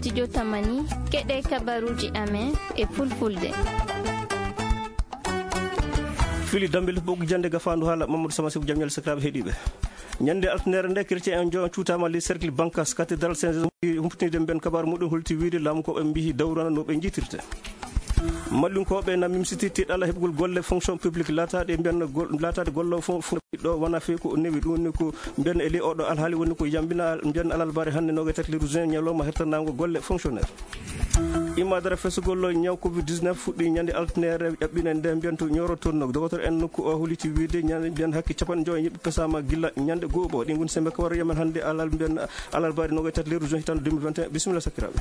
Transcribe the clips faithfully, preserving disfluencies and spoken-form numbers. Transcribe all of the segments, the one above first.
Studio Tamani, keɗe kabaruuji amen e Fulfulde. Fili Dambel, ɓoggi jannde gafaandu haala Mamadou Sama Seku. Jam ñalle sakiraaɓe heɗiiɓe. Ñande altinere nde, chrétien en jo cuutaama ley cercle Bankas, cathédrale Saint Joseph, humpitinde mbiyen kabaru muɗum, holti wiide laamu ko ɓe mbiyi dawrana no ɓe njiitirte. Mallinkooɓe na mimsiti tiɗalla heɓgol golle fonction publique laataaɗe mbiyen gol-, laataade golloowo fo-, fo-, ɗo wona fii ko newi. Ɗum woni ko mbiyen e ley oɗo alhaali woni ko yambina mbiyen alarbaare hannde noogaye tati lewru juin, ñalawma hertanaango golle fonctionnaire. Imma dara fesugol ñaw covid dix-neuf fuɗɗi ñande altinere ƴaɓɓine nde mbiyen to Nioro toon. Dogotor en nokku o holliti wiide ñande mbiyen hakke capanɗe njoyo yimɓe pesaama gilla ñande goo ɓo. Ɗi ngoni sembe kawar yemen hannde alal mbiyen alarbaare noogaye tati lewru juin hitande deux mille vingt et un. Bisimilla sakiraaɓe.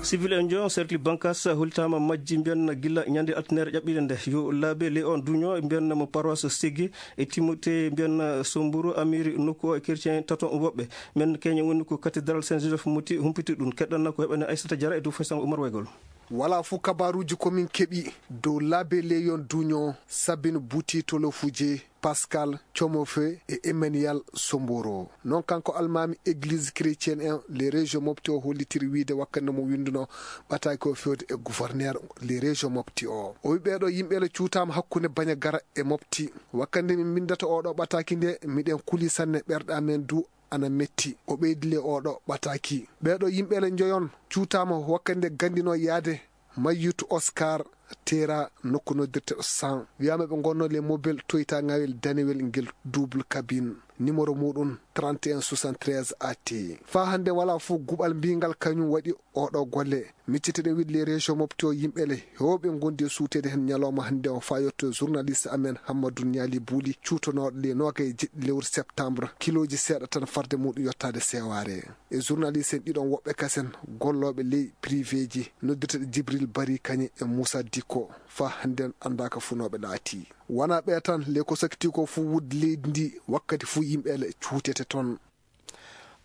Civil en jo cercle Bankas hollitaama majji mbiyen gilla ñande altinere ƴaɓɓine nde. Yo laabe ley on duño mbiyen mo paroisse Sigi e Timothée mbiyen Somburu amiri nokku o e chrétien tato woɓɓe. Men keñe woni ko cathédrale Saint Joseph Moti humpiti ɗum. Keɗɗanna ko heɓani Aissata Diarra e dow façon Oumar Waygol. Wala fuu kabaruuji ko min keɓi dow laabe ley on duño Sabine Buti Tolofuje, Pascal Comofe e Emmanuel Somboro. Non kanko almaami église chrétienne en les régions mofti o hollitiri wiide wakkati mo winduno ɓataaki o fewde e gouverneur les régions mofti o. O wi ɓeeɗo yimɓe le cuutaama hakkunde Bañagara e mofti. Wakkati min mbindata oɗo ɓataaki nde miɗen kuli sanne ɓerɗe amen du ana metti. O ɓeydi le oɗo ɓataaki. Ɓeeɗo yimɓe le njoyon cuutaama wakkati nde gandino yaade Mayyutu Oscar Tera nokku noddirteɗo San. Wiyaama ɓe ngonno le mobile toyta ngawel danewel ngel double cabine. Numéro muɗum trente et un soixante-treize A T. Faa hannde wala fuu guɓal mbingal kañum waɗi oɗo golle. Micciteɗen wiide les régions mofti o yimɓe le heewɓe ngondi e suuteede heen ñalawma hannde o faa yetto journaliste amen Hammadou Niali Bouli cuutonooɗo le noogaye e jeɗɗi lewru septembre. Kilooji seeɗa tan farde muɗum yottaade seewaare. E journaliste en ɗiɗon woɓɓe kasen gollooɓe ley privéji noddirteɗo Djibril Bari Kañe e Moussa Dikko faa hannden anndaaka fuu no ɓe laati. Wonaa ɓe tan, le ko sakiti ko fuu wudde leydi ndi wakkati fuu yimɓe le cuutete toon.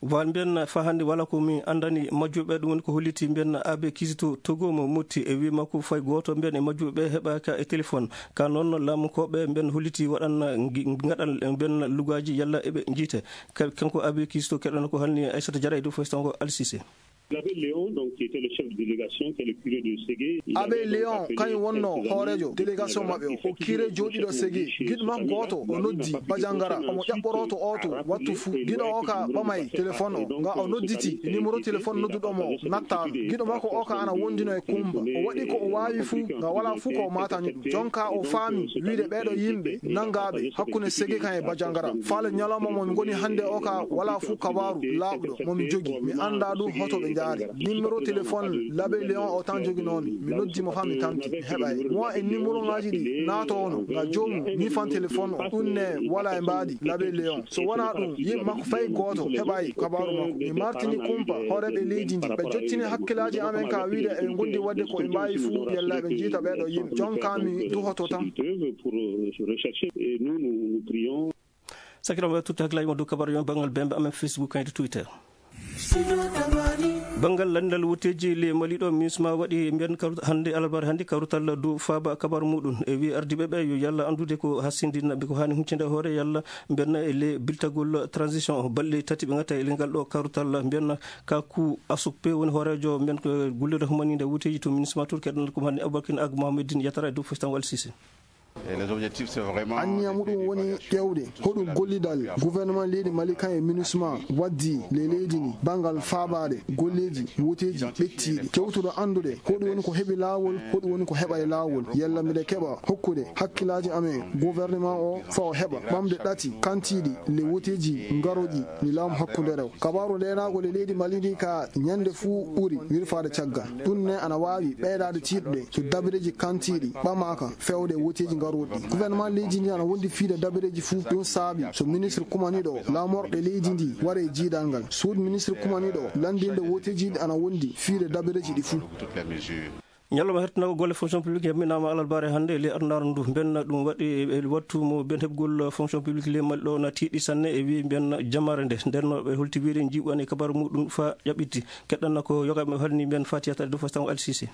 Wal mbiyen faa hannde wala ko mi anndani majjuɓe, ɗum woni ko holliti mbiyen Abe Kizito Togo mo Motti e wi makko fay gooto mbiyen e majjuɓe heɓaaka e téléphone. Ka noon laamu ko ɓe mbiyen holliti waɗan ngi-, ngaɗan mbiyen lugaaji yalla eɓe njiite. Ka-, kanko Abe Kizito keɗono ko halni Aissata Diarra e dow fof tan ko Alsise. L'abbé Léon, donc, qui était le chef de délégation, qui est le curé de Ségué, il Abbé avait donc Léon appelé kañum wonno quelques amis hooreejo de délégation la maɓɓe o, o curé jooɗiiɗo Ségué. Giɗo makko gooto o noddi Bajangara, omo ƴaɓɓoroo to ooto wattu fuu. Giɗo o ka ɓamay téléphone o, nga o nodditi numéro téléphone nodduɗo mo nattaano. Giɗo makko o ka ana wondino e kumpa. O waɗi ko o waawi fuu, nga walaa fuu ko o maatani ɗum. Jonka o faami wiide ɓeeɗo yimɓe nanngaaɓe hakkunde Ségué kan e Bajangara. Faale ñalawma mo mi ngoni hannde o ka walaa fuu kabaaru laaɓɗo mo mi jogi. Mi anndaa ɗum hoto ɓe njaari. Numéro téléphone l'abbé Léon o tan joginoomi. Mi noddi mo faa mi tampi, mi heɓaay. Mo e numéro ngaaji ɗi naatoono nga joomum ñifan téléphone o. Ɗum ne walaa e mbaadi l'abbé Léon. So wonaa ɗum, yimɓe makko fay gooto heɓaay kabaaru makko. Mi martini kumpa hooreeɓe leydi ndi. Ɓe jottini hakkillaaji amen ka wiide eɓe ngondi waɗde ko ɓe mbaawi fuu yalla ɓe njiita ɓeeɗo yimɓe. Jonka mi duhoto tan. Pour, euh, rechercher. Et nous, nous, nous prions. Sakiraaɓe, totti hakkillaaji mon dow kabaaru yon banngal bembe amen Facebook kayto Twitter. Banngal lanndal wotteeji le Mali ɗo, MINUSMA waɗi mbiyen kawru-, hannde alarbaare hannde kawrutal dow faaba kabaaru muɗum. E wi ardiiɓe ɓe yo yalla anndude ko hasindina ɓe ko haani huccinde hoore yalla mbiyen e le biltagol transition o. Balɗe tati ɓe ngatta e le ngal ɗo kawrutal mbiyen ka ku Asupe woni hooreejo mbiyen ko gollirde humaninde wotteeji to MINUSMA toon keɗan ko hannde Aboubacar Ag Mohameddine Yatara e dow fof tan Alsise. Et les objectifs, c'est vraiment Anniya muɗum woni ƴeewde hoɗum gollidal gouvernement leydi Mali kan e MINUSMA waddi le leydi ndi banngal faabaade golleeji wotteeji ɓettiiɗi. Kewtuɗo anndude hoɗum woni ko heɓi laawol, hoɗum woni ko heɓaay laawol. Yalla mbiɗa keɓa hokkude hakkillaaji amen gouvernement o faa o heɓa ɓamde ɗati kantiiɗi le wotteeji ngaroɗi ni laamu hakkundeere o. Kabaaru ndeenaagu le leydi Mali ndi ka ñande fuu ɓuri wirfaade caggal. Ɗum ne ana waawi ɓeydaade tiiɗude so dabareeji kantiiɗi ɓamaaka feewde wotteeji ngarooɗi. Gouvernement leydi ndi ana wondi fiide dabareeji fuu. Ɗum saabi so ministre kumaniiɗo laamorɗe leydi ndi ware e jiidal ngal. Suudu ministre kumaniiɗo lanndinde wotteeji ɗi ana wondi fiide dabareeji ɗi fuu. Ñalawma hertanaango golle fonction publique yamminaama alarbaare hannde e ley arnaaru ndu. Mbenna ɗum waɗi e wattu mo ben heɓgol fonction publique ley Mali ɗo na tiiɗi sanne e wi mbenna jamaare nde. Nden no ɓe holti wiide jiiɓu an e kabaaru muɗum faa ƴaɓɓitti. Keɗɗanna ko yoga ɓe halni mben Fatiya Tare dow Fastango Alsise.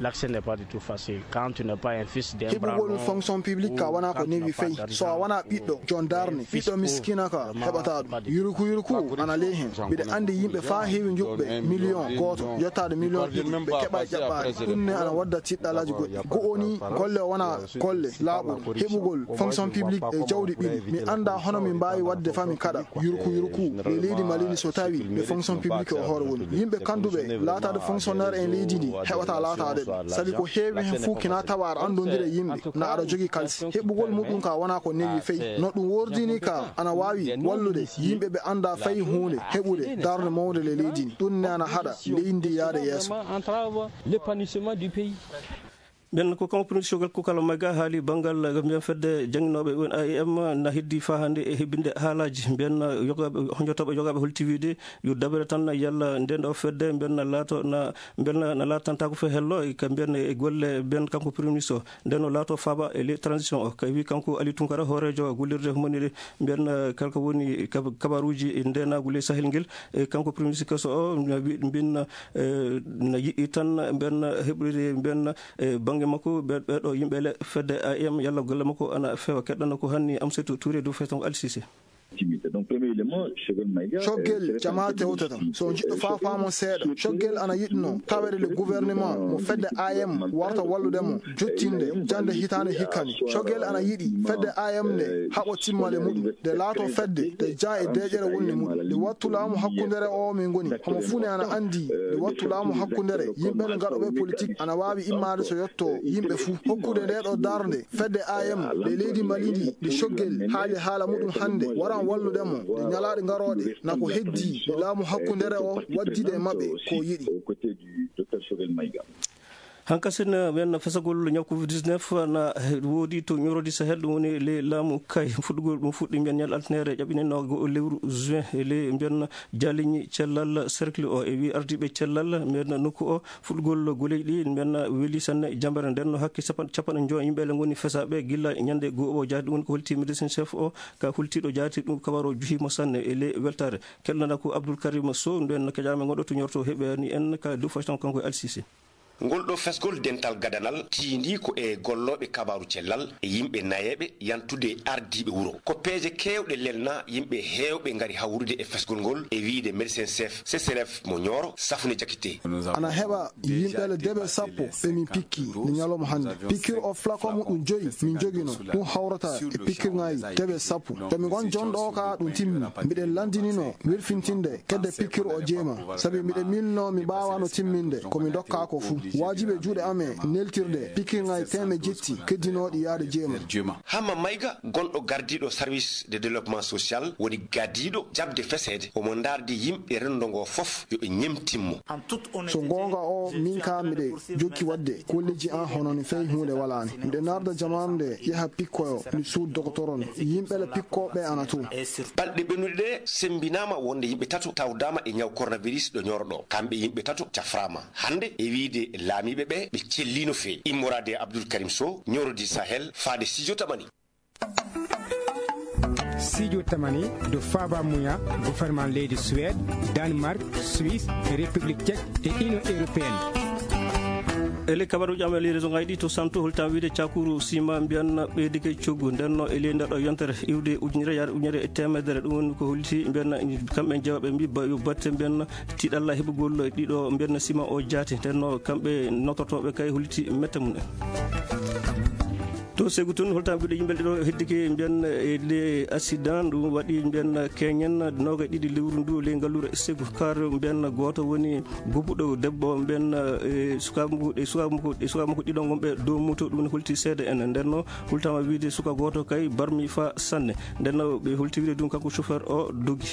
L'accès n'est pas du tout facile. Quand tu n'es pas un fils d'un bras long, heɓugol fonction publique ka wona ko newi fey. So a wona ɓiɗɗo jon darne, ɓiɗɗo miskina ka heɓata ɗum. Yurku yurku ana ley hen. Mbiɗa anndi yimɓe faa heewi njuɓɓe million gooto, yottaade million ɗiɗi, ɓe keɓa ƴaɓɓaade. Ɗum ne ana wadda tiɗɗalaaji goɗɗi. Go'o ni, golle o wona golle laaɓuɗe. Heɓugol fonction publique e jawdi ɓiɗi. Mi annda hono mi mbaawi waɗde faa mi kaɗa. Yurku yurku e leydi Mali ni, so tawi ɓe fonction publique o hoore woni. Yimɓe kannduɓe laataade fonctionnaire en leydi ndi heɓata laataade ɗum. Sabi ko heewi hen fuu kina tawa aɗa anndondira e yimɓe, na aɗa jogii kalisi. Heɓugol muɗum ka wona ko newi fey. No ɗum wordini ka ana waawi wallude yimɓe ɓe annda fay huunde heɓude darnde mawnde le leydi ndi. Ɗum ne ana haɗa leydi ndi yaade yeeso. Ɓen ko kanko premier ministre Choguel Kokalla Maïga haali banngal, eh, mbiyen fedde jannginooɓe woni A E M na heddi faa hannde e hebbinde haalaaji. Mbiyen, eh, yogaaɓe, honjotooɓe yogaaɓe holti wiide yo dabere tan yalla nden ɗo fedde mbiyen na laato na, mbiyen na, na laatantaako fe hello, e ka mbiyen e golle mbiyen kanko premier ministre o. Nden o laato faaba e ley transition o. Ka wi kanko Ali Tunkara hooreejo gollirde humaniɗe mbiyen, eh, kala ko woni kab-, kabaruuji e ndeenaagu ley Sahel ngel. E kanko premier ministre keso o na wi-, mbiyen, eh, na yiɗi tan mbiyen heɓude mbiyen e bannge makko, ɓe, ɓeɗo yimɓe le fedde A M, yalla golle makko ana feewa. Keɗɗana ko hanni Amsatou Touré dow feeton Al Sisi. Donc, premier élément, Choguel Maïga, Choguel, euh, jama tewtata. So on jiɗɗo faa faamon seeɗa. Choguel ana yiɗno tawede le gouvernement mo fedde A M warta wallude mo jottinde jannde hitaande hikka ni. Choguel ana yiɗi fedde A M nde haɓo timmale muɗum. Nde laato fedde, nde jaa e deeƴere wonde muɗum. Nde wattu laamu hakkundere o min ngoni. Homo fuu ne ana anndi nde wattu laamu hakkundere, yimɓe ngaɗooɓe politique ana waawi immaade so yotto yimɓe fuu. Hokkude nde ɗo darnde fedde A M nde leydi Mali ndi, nde Choguel haali haala muɗum hannde, waran wallude mo nde ñalaaɗe ngarooɗe, na ko heddi nde laamu hakkundere o waddide e maɓɓe ko yiɗi. Hankasin, ɓen fesagol ñaw covid dix-neuf na woodi to Ñorodi Sahel, ɗum woni ley laamu Kay. Fuɗɗugol ɗum fuɗɗi mbiyen ñal altine ere ƴaɓɓinen no go lewru juin, e ley mbiyen jaliñi cellal cercle o, e wi ardiiɓe cellal mbiyen nokku o. Fuɗɗugol goleeji ɗi mbiyen weli sanne jambere nden no hakke capan-, capanɗe njoyo yimɓe le ngoni fesaaɓe gilla ñande go o jaati. Ɗum woni ko holti médecin chef o ka hultiiɗo jaati ɗum kabaru o juhimo sanne e ley weltaare. Kelɗo nda ko Abdoul Karim Sow, nden no keƴaama ngoɗo to Ñorodi heɓani en ka dow fayton kanko e Al Sisi. Ngol ɗo fesgol dental gadanal tiindii ko e gollooɓe kabaaru cellal e yimɓe nayeeɓe yantude e ardiiɓe wuro. Ko peeje keewɗe lelnaa, yimɓe heewɓe ngari hawrude e fesgol ngol e wiyde médecin chef C C R F mo Ñooro, Safune Jakite. Ana heɓa yimɓe le debe sappo ɓe min pikki ni ñalawma hannde. Piqûre o flacon muɗum joyi min jogino. Ɗum hawrata e piqûre ngaji debe sappo. To mi ngon jonɗo o ka ɗum timmi. Mbiɗen lanndinino welfintinde kedde piqûre o jeema. Sabi mbiɗen miilno mi mbaawano timminde ko mi dokka ko fuu. Waajibi e juuɗe amen neltirde piqûre ngaji teemeɗɗe jetti keddinooɗi yaade jeema. Hamma Mayga, gonɗo gardiiɗo service de développement social, woni gadiiɗo jaɓde feseede. Omo ndaardi yimɓe renndo ngo fof yo ɓe ñemtin mo. So goonga o, min ka miɗe jokki waɗde golleeji an hono ni fey huunde walaani. Miɗe naarda jamaanu nde yaha pikkoyo mi suud dogotoro ni. Yimɓe le pikkooɓe ana to. Balɗe ɓennuɗe ɗe semmbinaama wonde yimɓe tato tawdaama e ñaw coronavirus ɗo Ñooro ɗo. Kamɓe yimɓe tato cafraama hannde e wiyde laamiiɓe ɓe ɓe cellii no feewi. Immoraade e Abdoul Karim Sow, Ñooro di Sahel, faade Studio Tamani. Studio Tamani, ɗo faaba muya gouvernement leydi Suède, Danemark, Suisse, République Tchèque e Union Européenne. E ley kabaruuji amen e ley région ngaji ɗi to Santo, holta wiide cakuru sima mbiyan ɓeydike coggu. Nden no e ley nder ɗo yontere iwde ujunere yaade ujunere e teemedere, ɗum woni ko holti mbiyan kamɓe jeewaɓe mbi ba-, yo batte mbiyan tiɗalla heɓugol ɗiɗo mbiyan sima o jaati. Nden no kamɓe notortooɓe kay holti mette mum en. To Segu tun, holta mbiɗo yimɓe ɗiɗo heddike mbiyan e le accident ɗum waɗi mbiyan keñen noga e ɗiɗi lewru ndu ley ngalluure Segu. Kar mbiyan gooto woni gubuɗo debbo mbiyan e sukaaɓe makko, e sukaaɓe makko, e sukaaɓe makko ɗiɗo gonɓe dow moto, ɗum ne holti seede en. Nden no holtama wiide suka gooto kay barmi fa sanne. Nden no ɓe holti wiide ɗum kanko chauffeur o dogi.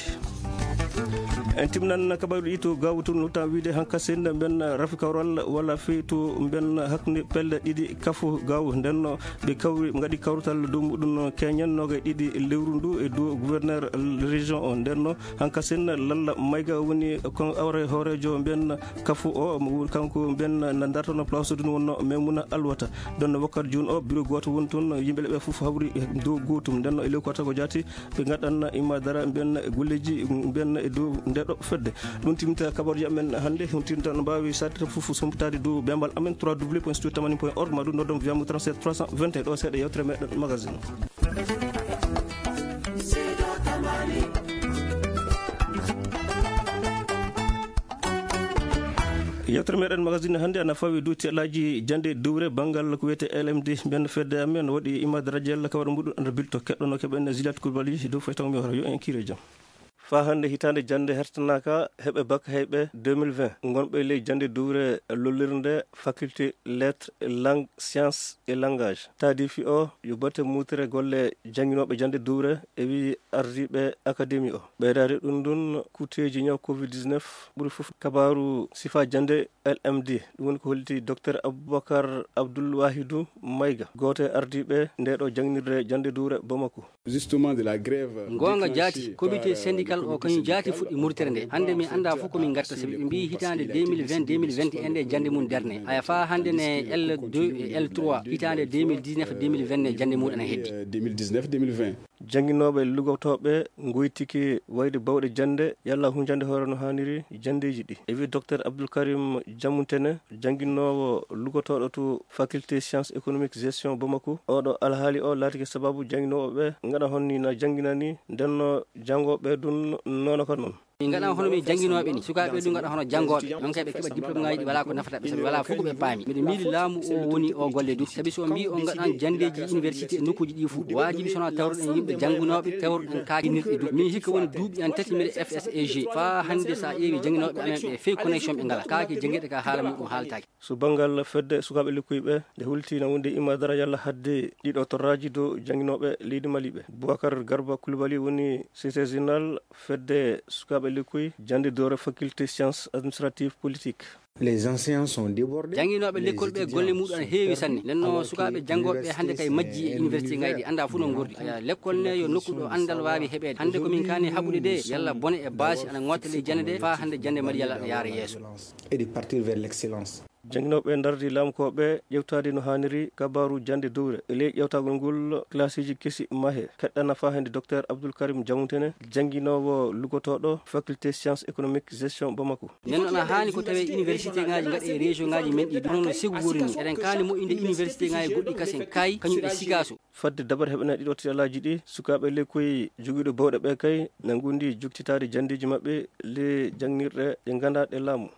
En timnan kabaru ɗi to Gaawo tun, holtama wiide hankasen mbiyan rafi kawral walla fey to mbiyan hakkunde pelle ɗiɗi Kafo Gaawo. Nden no ɓe kawri, ngaɗi kawrital dow muɗum keñen noga e ɗiɗi lewru ndu e dow gouverneur région o. Nden no hankasen Lalla Mayga woni kon awre hooreejo mbiyan Kafo o, mo woni kanko mbiyan na dartono place ɗum wonno Maymuna Alwata. Nden no wakkati jooni o bureau gooto woni toon, yimɓe le ɓe fof hawri e dow gootum. Nden no e ley ko tago jaati ɓe ngaɗan imma dara mbiyan golleeji mbiyan e dow nder Ɗo fedde ɗum timta kabaruji amen hannde. Huntinta no mbawi satita fof sompitade dow bembal amen trois w point studio tamani point org, ma ɗum noddon via mo trente-sept trois cent vingt et un. Ɗo seeɗa yewtere meɗen magazine. Yewtere meɗen magazine hannde ana fawi dow tiɗalaji jande dowre banngal ko wiyete L M D. Mbiyen fedde amen waɗi imade radio yalla kawar muɗum anda bilto keɗɗono keɓen Ziliat Koulibaly dow faytaw mi hoto yo en kire jam. Fa hannde hitaande jannde hertanaaka heɓe bakka heyɓe deux mille vingt ngonɓe ley jannde duure lollirnde faculté lettres, langue, science et langage. Taadifi o yo batte muutere golle jannginooɓe jannde duure e wii ardiiɓe akademi o. Ɓeydaade ɗum ɗum kuuteeji ñaw covid dix-neuf ɓuri fof kabaaru sifa jannde L M D. Ɗum woni ko holliti Docteur Aboubacar Abdoul Wahidou Maïga, gooto e ardiiɓe nde ɗo jannginirde jannde duure Bamako. Justement de la grève. Ngoonga jaati, comité syndical o kañum jaati fuɗɗi murtere nde. Hannde mi annda fof ko min ngatta, sabi ɓe mbiyi hitaande deux mille vingt, deux mille vingt et un nde jannde mum darne. Aya faa hannde ne L deux e L trois hitaande deux mille dix-neuf, deux mille vingt ne jannde mum ana heddi. Euh, deux mille dix-neuf, deux mille vingt. Jannginooɓe lugotooɓe ngoytike wayde bawɗe jannde yalla hunjande hoore no haaniri janndeeji ɗi. E wii Docteur Abdoul Karim Diamounténé, jannginoowo lugotooɗo to faculté sciences économiques gestion Bamako. Oɗo alhaali o laatike sababu jannginooɓe ɓe ngaɗa honni na jannginani, ndenno janngooɓe ɗum noona ko noon. Min ngaɗa hono min jannginooɓe ni, sukaaɓe ɗum ngaɗa hono janngooɓe. Ɗon kay ɓe keɓa diplôme ŋaaji ɗi walaa ko nafata ɓe, sabi walaa fof ko ɓe paami. Miɗo miili laamu o woni o golle ɗum, sabi so o mbii on ngaɗan janndeeji université e nokkuuji ɗi fof, waajibi so wonaa tawruɗen yimɓe jannginooɓe, tawruɗen kaakinirɗe ɗum. Min hikka woni duuɓi an tati mbiɗa F S E G. Faa hannde so a ƴeewi jannginooɓe amen ɓe, fey connexion ɓe ngalaa. Kaake janngeeɗe ka haala muɗum haaltaaki. So banngal fedde sukaaɓe lekkoy ɓe, nde hulti na wonde imma dara yalla hadde ɗiɗo torraaji dow jannginooɓe leydi Mali ɓe. Boubacar Garba Coulibaly woni secrétaire général fedde sukaaɓe lekkoy jannde doore faculté sciences administratives politiques. Les enseignants sont débordés. Jannginooɓe lekkol ɓe golle muɗum ana heewi sanne. Nden no sukaaɓe janngooɓe ɓe hannde kay majji e université ngaji ɗi annda fof no ngordi. Aya, lekkol ne yo nokku ɗo anndal waawi heɓeede. Hannde ko min kaani haɓude de, yalla bone e baasi ana ngotta ley jannde de, faa hannde jannde Mali yalla ana yaara yeeso. Et de partir vers l'excellence. Jannginooɓe ndardi lamkooɓe ƴewtaade no haaniri kabaaru jannde dowre. E ley ƴewtagol ngol, classe uji kesi mahe. Keɗɗana faa hannde Docteur Abdoul Karim Diamounténé, jannginoowo lugotooɗo faculté sciences économiques gestion Bamako. Nden noon, ana haani ko tawee université ŋaaji ngaɗe e région ŋaaji men ɗi, hono no Ségou woni ni. Eɗen kaani moƴƴinde université ŋaaji goɗɗi kasen, kay, kañum e Sikaso. Fadde dabare heɓanaade ɗiɗo tiɗalaaji ɗi, sukaaɓe lekkoy jogiiɗo bawɗe ɓe kay, na ngondi joktitaade janndeeji maɓɓe le janngirɗe ɗe nganndaa ɗe laamu.